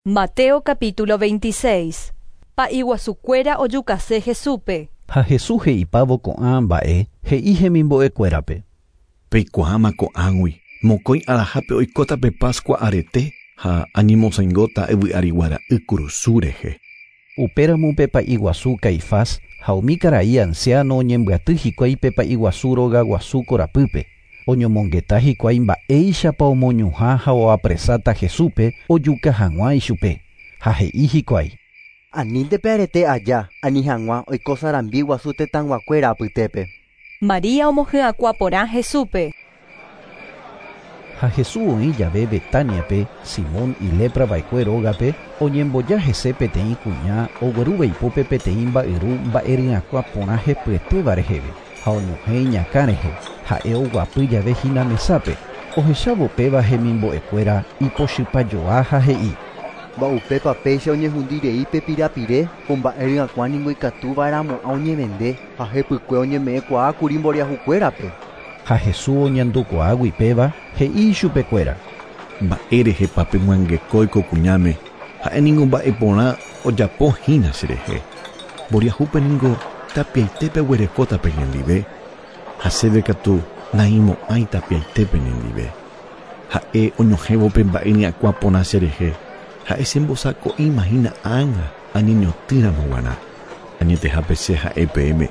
Mateo capítulo 26. Pa'i guasukuéra ojukase Jesúspe. Ha Jesús he'ipávo ko'ã mba'e, he'i hemimbo'ekuérape. Peikuaáma ko'ág̃ui, mokõi arahápe oikóta pe Pascua arete ha añemosãingóta yvy arigua ra'y kurusu rehe. Upéramo pe pa'i guasu Caifás ha umi karai anciano oñembyaty hikuái pe pa'i guasu rogaguasu korapýpe. Oñomongeta hikuái mba'éichapa omoñuhã ha oapresáta Jesúspe ojuka hag̃ua ichupe. Ha he'i hikuái. Anínte pe arete aja, ani hag̃ua oiko sarambi guasu tetãyguakuéra apytépe. María omohyakuã porã Jesúspe. Ha Jesús oĩ jave Betaniape, Simón ileprava'ekue rógape, oñemboja hese peteĩ kuña oguerúva ipópe peteĩ mba'yru mba'eryakuã porã hepyetéva reheve ha oñohẽ iñakã rehe, ha'e oguapy jave hína mesápe, ohechávo péva hemimbo'ekuéra ipochypajoa ha he'i. Mba'upépa péicha oñehundirei pe pirapire ko mba'eryakuã ningo ikatuva'erãmo'ã oñevende ha hepykue oñeme'ẽkuaákuri mboriahukuérape. Ha Jesús oñandukuaágui péva he'i ichupekuéra. Mba'érehepa pemyangekói ko kuñáme, ha'éningo mba'eporã ojapohína cherehe. Mboriahúpe ningo tapiaitépe oguerekóta peñendive, ha chéve katu naĩmo'ãi tapiaitépe ñendive. Ha'e oñohẽvo pe mba'eryakuã porã cherehe, ha'e chembosako'ímahína ág̃a añeñotỹramo g̃uarã. Añetehápe che ha'e peẽme,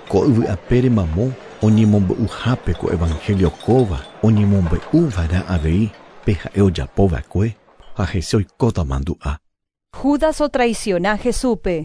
ko yvy apére mamo oñemombe'uhápe ko evangelio kóva oñemombe'uva'erã avei pe ha'e ojapova'ekue ha hese oikóta mandu'a. Judas otraiciona Jesúspe.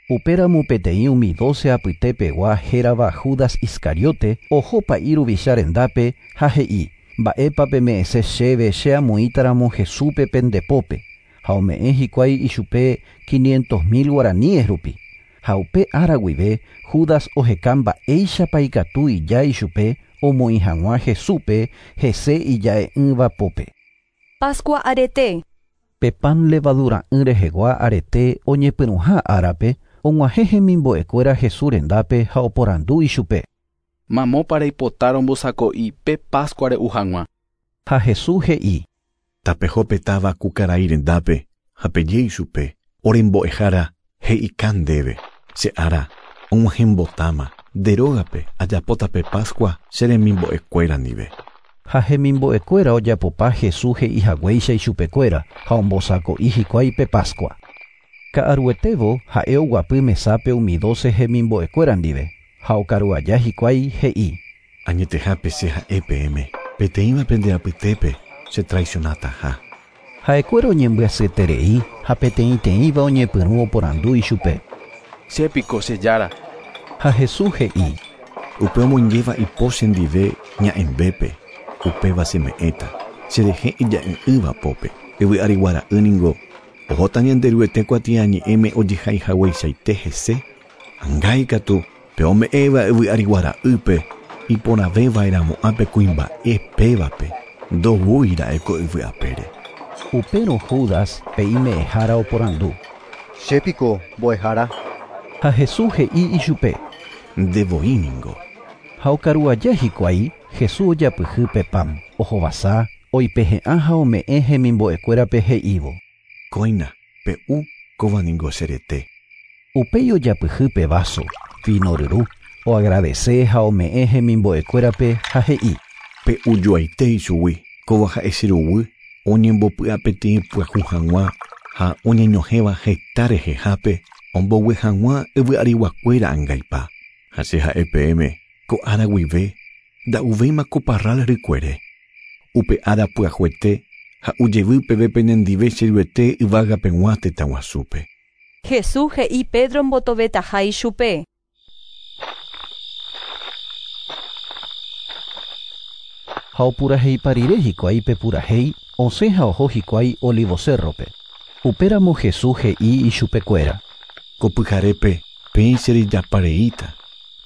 Upéramo peteĩ umi doce apytepegua hérava Judas Iscariote oho pa'i ruvicha rendápe ha he'i mba'épa peme'ẽse chéve che amoĩtaramo Jesúspe pendepópe ha ome'ẽ hikuái ichupe 500 000 guaraníes rupi. Ha upe ára guive Judas oheka mba'éichapa ikatu ija ichupe omoĩ hag̃ua Jesúspe hese ija'e'ỹva pópe. Pascua arete. Pe pan levadura'ỹ rehegua arete oñepyrũha árape og̃uahẽ hemimbo'ekuéra Jesús rendápe ha oporandu ichupe. Mamópa reipota rombosako'i pe Pascua re'u hag̃ua. Ha Jesús he'i. Tapeho táva ku karai rendápe ha peje ichupe orembo'ehára he'ika ndéve che ára og̃uahẽmbotáma nde rógape ajapóta pe Pascua che remimbo'ekuéra ndive. Ha hemimbo'ekuéra ojapopa Jesús he'ihaguéicha ichupekuéra ha ombosako'i hikuái pe Pascua. Ka'aruetévo ha'e oguapy mesápe umi doce hemimbo'ekuéra ndive ha okaru aja hikuái he'i. Añetehápe che ha'e peẽme, peteĩva pende apytépe che traicionataha. Ha'ekuéra oñembyasyeterei ha peteĩteĩva oñepyrũ oporandu ichupe. Chépiko che jára. Ha Jesús he'i. Upe omoingéva ipo chendive ña'ẽmbépe, upéva cheme'ẽta, cherehe ija'e'ỹva pópe. Yvy arigua ra'y ningo ohóta Ñanderuete kuatiañe'ẽme ojehaihagueichaite hese, angái katu pe ome'ẽva yvy arigua ra'ýpe iporãvéva'erãmo'ã pe kuimba'e pévape ndoúira'e ko yvy apére. Upérõ Judas pe ime'ẽhára oporandu. Chépiko mbo'ehára. Ha Jesús he'i ichupe. Ndevoi ningo. Ha okaru aja hikuái, Jesús ojapyhy pe pan, ohovasa, oipehe'ã ha ome'ẽ hemimbo'ekuérape he'ívo. Kóina, pe'u kóva ningo che rete. Upéi ojapyhy pe vaso, vino ryru, oagradece ha ome'ẽ hemimbo'ekuérape ha he'i. Pe'ujoaite ichugui, kóva ha'e che ruguy, oñembopy'a peteĩ pyahu hag̃ua ha oñeñohẽva heta rehehápe ombogue hag̃ua yvy ariguakuéra angaipa. Ha che ha'e peẽme, ko ára guive nda'uvéima ko parral rykuere. Upe ára pyahuete ha ujevy peve penendive cheruete yvágapeg̃ua tetãguasúpe. Jesús he'i Pedro mbotovetaha ichupe. Ha opuraheipa rire hikuái pe purahéi osẽ ha oho hikuái Olivo Cerrope. Upéramo Jesús he'i ichupekuéra. Ko pyharépe peẽ cherejapareíta,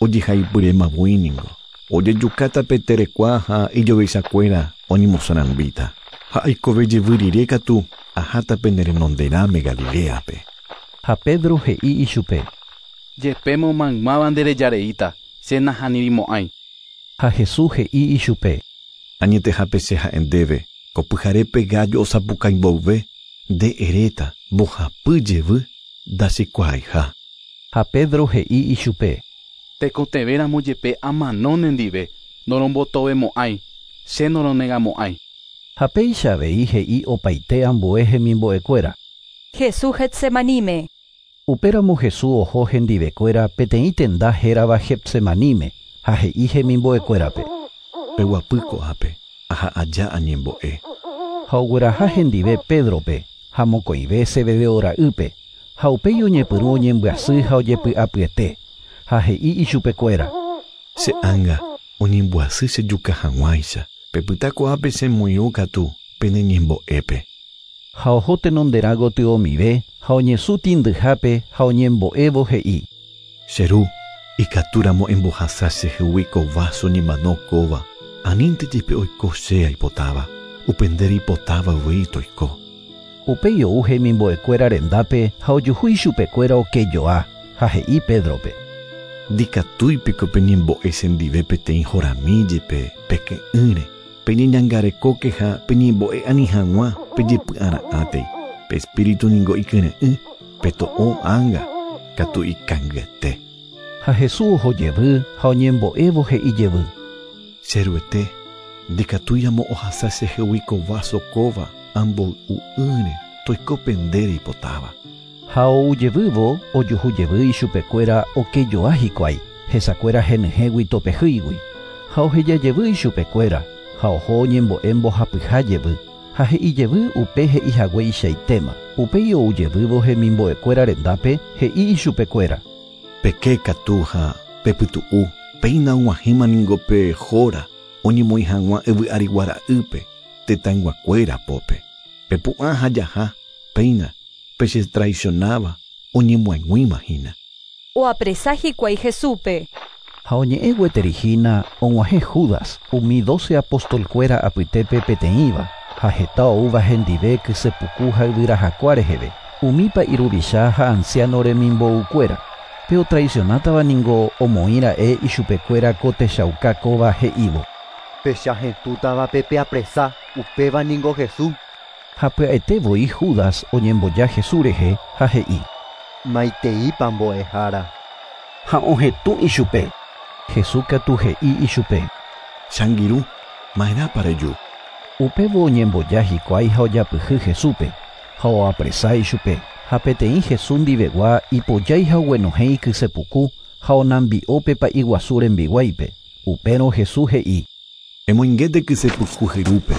ojehaipyrémavoi ningo. Ojejukáta pe terekua ha ijovechakuéra oñemosarambíta. Ha aikove jevy rire katu aháta pene renonderãme Galileape. Ha Pedro he'i ichupe. Jepémo maymáva nderejareíta, che nahanirimo'ãi. Ha Jesús he'i ichupe. Añetehápe che ha'e ndéve, ko pyharépe gallo osapukái mboyve, Nde eréta mbohapy jevy ndachekuaaiha. Ha Pedro he'i ichupe. Tekotevẽramo jepe amano nendive, norombotovemo'ãi, che noronegamo'ãi. Ha péicha avei he'i opaite ambue hemimbo'ekuéra. Jesús Getsemaníme. Upéramo Jesús oho hendivekuéra peteĩ tenda hérava Getsemaníme ha he'i hemimbo'ekuérape. Peguapy ko'ápe, aha aja añembo'e. Ha ogueraha hendive Pédrope ha mokõive Zebedeo ra'ýpe ha upéi oñepyrũ oñembyasy ha ojepy'apyete ha he'i ichupekuéra. Che ánga oñembyasy chejuka hag̃uáicha. Pepyta ko'ápe chemoirũ katu pene ñembo'épe. Ha oho tenonderã gotyomive ha oñesũ tĩndyhápe ha oñembo'évo he'i. Che ru, ikatúramo embohasa chehegui ko vaso ñemano kóva, anínte jepe oiko che aipotáva, upe nde reipotáva avei toiko. Upéi ou hemimbo'ekuéra rendápe ha ojuhu ichupekuéra okejoa ha he'i Pédrope. Ndikatúipiko peñembo'e chendive peteĩ horami jepe peke'ỹre, peñeñangarekóke ha peñembo'e ani hag̃ua pejepy'ara'ãtei. Pe espíritu ningo ikyre'ỹ, pe to'o ánga katu ikangyete. Ha Jesús oho jevy ha oñembo'évo he'i jevy. Che Ruete, ndikatúiramo ohasa chehegui ko vaso kóva amboy'u'ỹre toiko pe nde reipotáva. Ha ou jevývo ojuhu jevy ichupekuéra okejoa hikuái, hesakuéra henyhẽgui topehýigui. Ha oheja jevy ichupekuéra ha oho oñembo'e mbohapyha jevy. Ha he'i jevy upe he'ihagueichaitéma. Upéi ou jevývo hemimbo'ekuéra rendápe he'i ichupekuéra. Peke katu ha pepytu'u, péina og̃uahẽma ningo pe hóra oñemoĩ hag̃ua yvy arigua ra'ýpe tetãyguakuéra pópe. Pepu'ã ha jaha, péina pechetraicionáva oñemoag̃uíma hína. Oapresa hikuái Jesúspe. Ha oñe'ẽ gueteri hína og̃uahẽ Judas, umi doce apostolkuéra apytépe peteĩva, ha heta oúva hendive kysepuku ha yvyrajakua reheve, umi pa'i ruvicha ha anciano remimboukuéra. Pe otraicionátava ningo omoĩra'e ichupekuéra ko techauka kóva he'ívo. Pechahetũtavape peapresa, upéva ningo Jesús. Ha pya'ete voi Judas oñemboja Jesús rehe ha he'i. Maiteípa mbo'ehára. Ha ohetũ ichupe. Jesús katu he'i ichupe. Che angirũ, ma'erãpa reju. Upévo oñemboja hikuái ha ojapyhy Jesúspe ha oapresa ichupe. Ha peteĩ Jesús ndivegua ipojái ha oguenohẽ ikysepuku ha onambi'ópe pa'i guasu rembiguáipe. Upérõ Jesús he'i. Emoingéte kysepuku hyrúpe,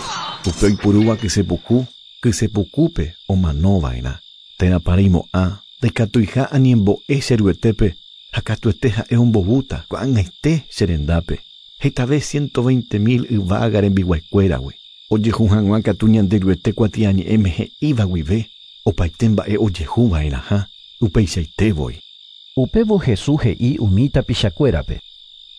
upe oipurúva kysepuku, kysepukúpe omanova'erã. Térãpa reimo'ã ndaikatuiha añembo'e che Ruetépe ha katuete ha'e ombovúta ko'ag̃aite che rendápe. Hetave 120 000 yvága rembiguaikuéragui. Ojehu hag̃ua katu Ñanderuete kuatiañe'ẽme he'íva guive opaite mba'e ojehuva'erãha upeichaite voi. Upévo Jesús he'i umi tapichakuérape.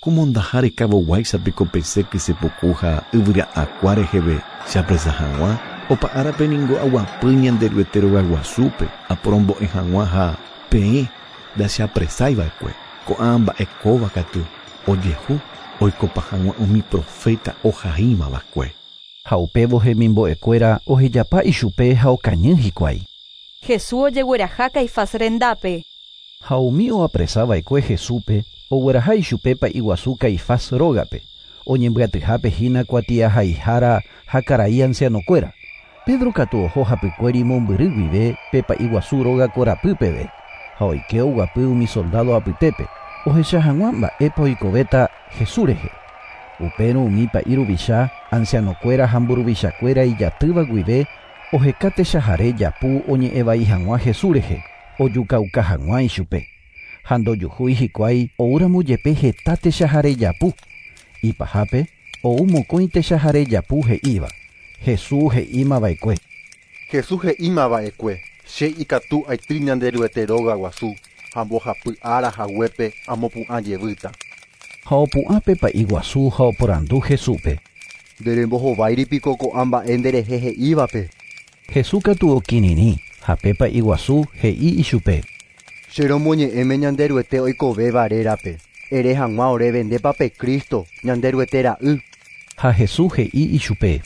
Ku mondaha rekavoguáichapiko pesẽ kysepuku ha yvyra'akua reheve cheapresa hag̃ua, opa árape ningo aguapy Ñanderuete rogaguasúpe aporombo'e hag̃ua ha peẽ ndacheapresaiva'ekue. Ko'ã mba'e kóva katu ojehu oikopa hag̃ua umi profeta ohaímava'ekue. Ha upévo hemimbo'ekuéra ohejapa ichupe ha okañy hikuái. Jesús ojegueraha Caifás rendápe. Ha umi oapresava'ekue Jesúspe ogueraha ichupe pa'i guasu Caifás rógape, oñembyatyhápe hína kuatiahaihára ha karai ancianokuéra. Pedro katu oho hapykuéri mombyry guive pe pa'i guasu róga korapy peve ha oike oguapy umi soldado apytépe ohecha hag̃ua mba'épa oikovéta Jesús rehe. Upérõ umi pa'i ruvicha, ancianokuéra ha mburuvichakuéra ijatýva guive oheka techahare japu oñe'ẽvai hag̃ua Jesús rehe, ojukauka hag̃ua ichupe. Ha ndojuhúi hikuái oúramo jepe heta techahare japu. Ipahápe ou mokõi techahare japu he'íva. Jesús he'ímava'ekue. Jesús he'ímava'ekue, che ikatu aity Ñanderuete róga guasu ha mbohapy ára haguépe amopu'ã jevýta. Ha opu'ã pe pa'i guasu ha oporandu Jesúspe. Nde rembohováiripiko ko'ã mba'e nderehe he'ívape. Jesús katu okirirĩ ha pe pa'i guasu he'i ichupe. Che romoñe'ẽme Ñanderuete oikovéva rérape. Ere hag̃ua oréve ndépa pe Cristo, Ñanderuete ra'y. Ha Jesús he'i ichupe.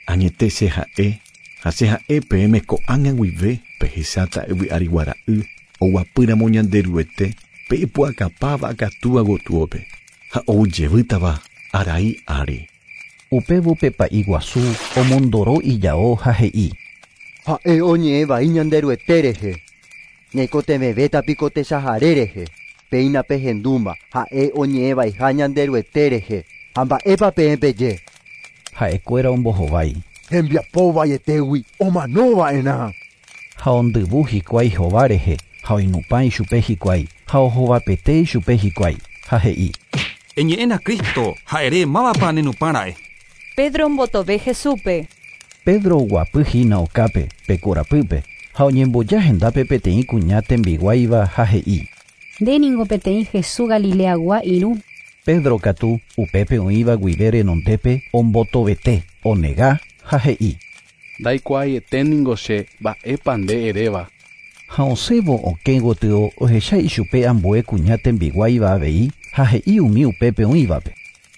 Añete che ha'e Ha che ha'e peẽme ko'ág̃a guive pehecháta yvy arigua ra'y oguapýramo Ñanderuete pe ipu'akapáva akatúa gotyope ha oujevýtava arai ári. Upévo pe pa'i guasu omondoro ijao ha he'i. Ha'e oñe'ẽ vai Ñanderuete rehe. Ñaikotevẽvéta piko techahare rehe. Péina pehendúma ha'e oñe'ẽ vaiha Ñanderuete rehe. Ha mba'épa peẽ peje. Ha'ekuéra ombohovái. Hembiapo vaietégui omanova'erã. Ha ondyvu hikuái hova rehe ha oinupã ichupe hikuái ha ohovapete ichupe hikuái ha he'i. Eñe'ẽna Cristo ha ere mávapa nenupãra'e. Pedro ombotove Jesúspe. Pedro oguapy hína okápe pe korapýpe ha oñemboja hendápe peteĩ kuña tembiguáiva ha he'i. Nde ningo peteĩ Jesús Galileagua irũ. Pedro katu upépe oĩva guive renondépe ombotovete, onega ha he'i. Ndaikuaaiete ningo che mba'épa nde eréva. Ha osẽvo okẽ gotyo ohecha ichupe ambue kuña tembiguáiva avei ha he'i umi upépe oĩvape.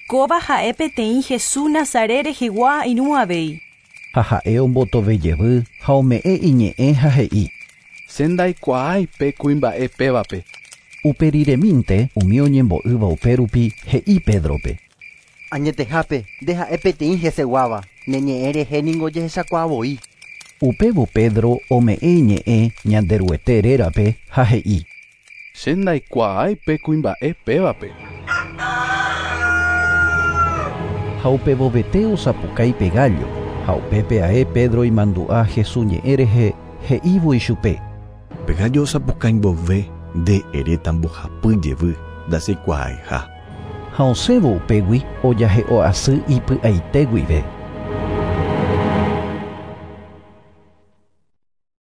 Kóva ha'e peteĩ Jesús Nazaret rehegua irũ avei. Ha ha'e ombotovejevy ha ome'ẽ iñe'ẽ ha he'i. Che ndaikuaái pe kuimba'e pévape. Uperiremínte umi oñembo'ýva upérupi he'i Pedrope. Añetehápe nde ha'e peteĩ heseguáva ne ñe'ẽ rehe ningo jehechakuaavoi. Upévo Pedro ome'ẽ iñe'ẽ Ñanderuete rérape ha he'i. Che ndaikuaái pe kuimba'e pévape. Ha upevovete osapukái pe gallo ha upépe ae Pedro imandu'a Jesús ñe'ẽ rehe he'ívo ichupe. Pe gallo osapukái mbove nde eréta mbohapy jevy ndacheikuaaiha. Ha osẽvo upégui ojahe'o asy ipy'aite guive.